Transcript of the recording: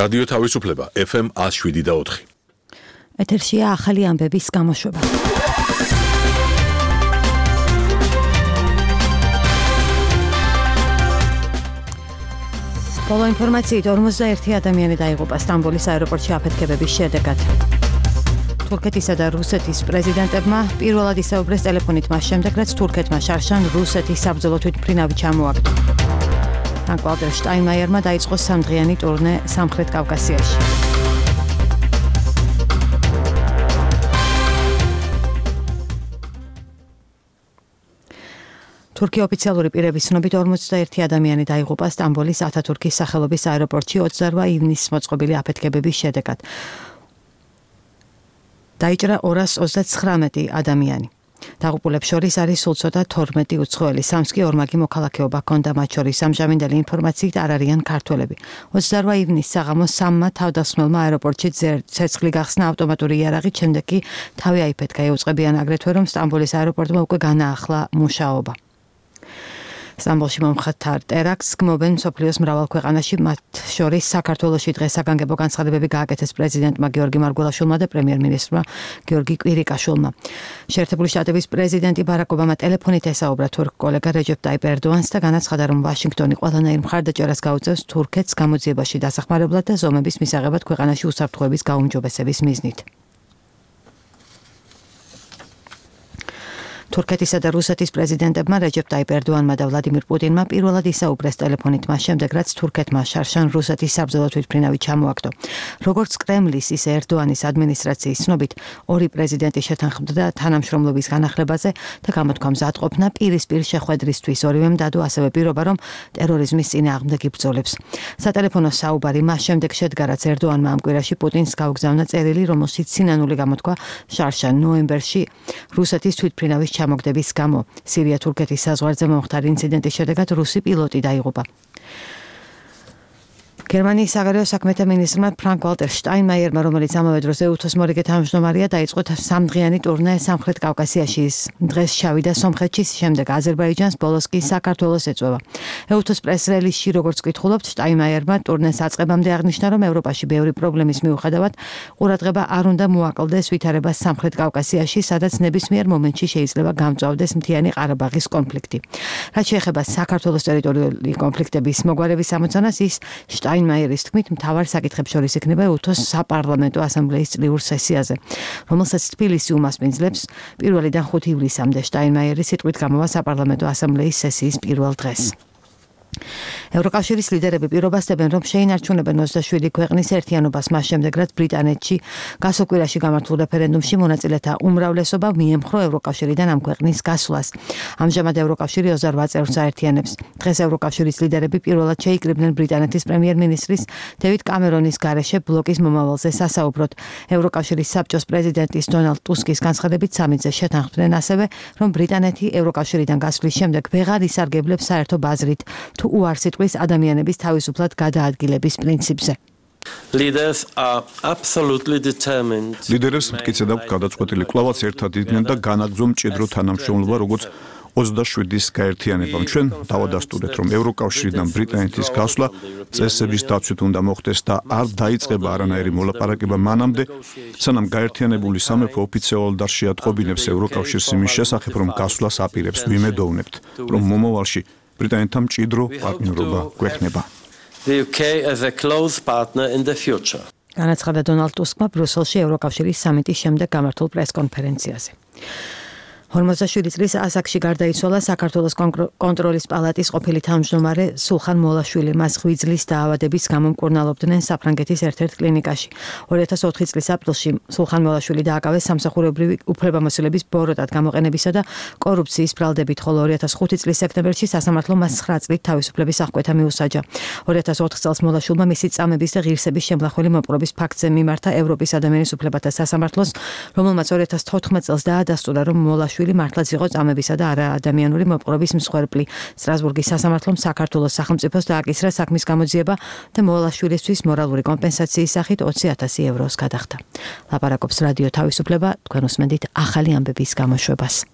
რადიო თავისუფლება FM 107.4. ეთერშია ახალი ამბების გამოშვება. ბოლო ინფორმაციით 51 ადამიანი დაიღუპა სტამბოლის აეროპორტში აფეთქებების შედეგად. თურქეთისა და რუსეთის პრეზიდენტებმა პირველად ისაუბრეს ტელეფონით მას შემდეგ, რაც თურქეთმა შარშან რუსეთის საბრძოლო თვითმფრინავი ჩამოაგდო. ფრანკ-ვალტერ შტაინმაიერმა დაიწყო სამდღიანი ტურნე სამხრეთ კავკასიაში. თურქი ოფიციალური პირების ცნობით 51 ადამიანი დაიღუპა სტამბოლის ათათურქის სახელობის აეროპორტში 28 ივნისს მოწყობილი აფეთქებების შედეგად. დაიჭრა 239 ადამიანი. დაღუპულებს შორის არის სულ ცოტა 12 უცხოელი, სამს კი ორმაგი მოქალაქეობა ჰქონდა, მათ შორის ამჟამინდელი ინფორმაციით არ არიან ქართველები. 28 ივნისს საღამოს 3-მა თავდასხმელმა აეროპორტში ცეცხლი გახსნა ავტომატური იარაღით, შემდეგ კი თავი აიფეთქა. ეუწყებიან აგრეთვე, რომ სტამბოლის აეროპორტმა უკვე განაახლა მუშაობა. სტამბოლში მომხდარ ტერაქტს გმობენ მსოფლიოს მრავალ ქვეყანაში, მათ შორის საქართველოში დღეს საგანგებო განცხადებები გააკეთეს პრეზიდენტმა გიორგი მარგველაშვილმა და პრემიერ-მინისტრმა გიორგი კვირიკაშვილმა. შეერთებული შტატების პრეზიდენტი ბარაკ ობამა ტელეფონით ესაუბრა თურქ კოლეგა რეჯეპ ტაიპ ერდოანს და განაცხადა, რომ ვაშინგტონი ყველანაირ მხარდაჭერას გაუწევს თურქეთს გამოძიებაში დასახმარებლად და ზომების მისაღებად ქვეყანაში უსაფრთხოების გაუმჯობესების მიზნით. თურქეთისა და რუსეთის პრეზიდენტებმა რეჯეპ ტაიპ ერდოანმა და ვლადიმირ პუტინმა პირველად ისაუბრეს ტელეფონით მას შემდეგ, რაც თურქეთმა შარშან რუსეთის საბრძოლო თვითმფრინავი ჩამოაგდო. როგორც კრემლის, ისე ერდოანის ადმინისტრაციის ცნობით, ორი პრეზიდენტი შეთანხმდა თანამშრომლობის განახლებაზე და გამოთქვა მზადყოფნა პირისპირ შეხვედრისთვის. ორივემ დადო ასევე პირობა, რომ ტერორიზმის წინააღმდეგ იბრძოლებს. სატელეფონო საუბარი მას შემდეგ შედგა, რაც ერდოანმა ამ კვირაში პუტინს გაუგზავნა წერილი, რომელშიც სინანული გამოთქვა შარშან ნოემბერში რუსეთის თვითმფრინავის ჩამოგდების გამო. სირია-თურქეთის საზღვარზე მომხდარი ინციდენტის შედეგად რუსი პილოტი დაიღუპა. გერმანიის საგარეო საქმეთა მინისტრმა ფრანკ-ვალტერ შტაინმაიერმა, რომელიც ამავე დროს ეუთოს მორიგე თავმჯდომარეა, დაიწყო სამდღიანი ტურნე სამხრეთ კავკასიაში. დღეს შავიდა სომხეთში, შემდეგ აზერბაიჯანს, ბოლოს კი საქართველოს ეწვევა. ეუთოს პრეს-რელიზში, როგორც კითხულობთ, შტაინმაიერმა ტურნეს აწყებამდე აღნიშნა, რომ ევროპაში ბევრი პრობლემის მიუხედავად ყურადღება არ უნდა მოაკლდეს ვითარებას სამხრეთ კავკასიაში, სადაც ნებისმიერ მომენტში შეიძლება გამწვავდეს მთიანი ყარაბაღის კონფლიქტი. რაც შეეხება საქართველოს ტერიტორიული კონფლიქტების მოგვარების ამოცანას, ის შტაინმაიერის თქმით, მთავარ საკითხებს შორის იქნება ეუთოს საპარლამენტო ასამბლეის წლიურ სესიაზე, რომელსაც თბილისი უმასპინძლებს 1-დან 5 ივლისამდე. შტაინმაიერი სიტყვით გამოვა საპარლამენტო ასამბლეის სესიის პირველ დღეს. ევროკავშირის ლიდერები პირობასდებენ, რომ შეინარჩუნებენ 27 ქვეყნის ერთიანობას მას შემდეგ, რაც ბრიტანეთში გასულ კვირაში გამართულ რეფერენდუმში მონაწილეთა უმრავლესობა მიემხრო ევროკავშირიდან ამ ქვეყნის გასვლას. ამჟამად ევროკავშირი 28 წევრს აერთიანებს. დღეს ევროკავშირის ლიდერები პირველად შეიკრიბნენ ბრიტანეთის პრემიერ-მინისტრის დევიდ კამერონის გარეშე ბლოკის მომავალზე სასაუბროდ. ევროკავშირის საბჭოს პრეზიდენტის დონალდ ტუსკის განცხადებით სამიტზე შეთანხმდნენ ასევე, რომ ბრიტანეთი ევროკავშირიდან გასვლის შემდეგ ვეღარ ისარგებლებს საერთო ბაზრით თუ უარს იტყვის ადამიანების თავისუფლად გადაადგილების პრინციპზე. ლიდერებს მტკიცედ აქვს გადაწყვეტილი კვლავაც ერთად იდგნენ და განაგრძო მჭიდრო თანამშრომლობა, როგორც 27-ის გაერთიანებამ. ჩვენ დავადასტურეთ, რომ ევროკავშირიდან ბრიტანეთის გასვლა წესების დაცვით უნდა მოხდეს და არ დაიწყება არანაირი მოლაპარაკება მანამდე, სანამ გაერთიანებული სამეფო ოფიციალურად არ შეატყობინებს ევროკავშირს იმის შესახებ, რომ გასვლას აპირებს. ვიმედოვნებთ, რომ მომავალში ბრიტანეთთან მჭიდრო პარტნიორობა გვექნება. განაცხადა დონალდ ტუსკმა ბრიუსელში ევროკავშირის სამიტის შემდეგ გამართულ პრეს-კონფერენციაზე. 47 წლის ასაკში გარდაიცვალა საქართველოს კონტროლის პალატის ყოფილი თავმჯდომარე სულხან მოლაშვილი. მას ღვიძლის დაავადების გამო მკურნალობდნენ საფრანგეთის ერთ-ერთ კლინიკაში. 2004 წლის აპრილში სულხან მოლაშვილი დააკავეს სამსახურებრივი უფლებამოსილების ბოროტად გამოყენებისა და კორუფციის ბრალდებით, ხოლო 2005 წლის სექტემბერში სასამართლომ მას 9 წლით თავისუფლების აღკვეთა მიუსაჯა. 2004 წელს მოლაშვილმა მისი წამების და ღირსების შემლახველი მოპყრობის ფაქტზე მიმართა ევროპის ადამიანის უფლებათა სასამართლოს, რომელმაც 2014 წელს დაადასტურა, რომ მოლაშვილი მართლაც იყო წამებისა და არაადამიანური მოპყრობის მსხვერპლი. სტრასბურგის სასამართლომ საქართველოს სახელმწიფოს დააკისრა საქმის გამოძიება და მოლაშვილისთვის მორალური კომპენსაციის სახით 20,000 ევროს გადახდა. ლაპარაკობს რადიო თავისუფლება, თქვენ უსმენთ ახალი ამბების გამოშვებას.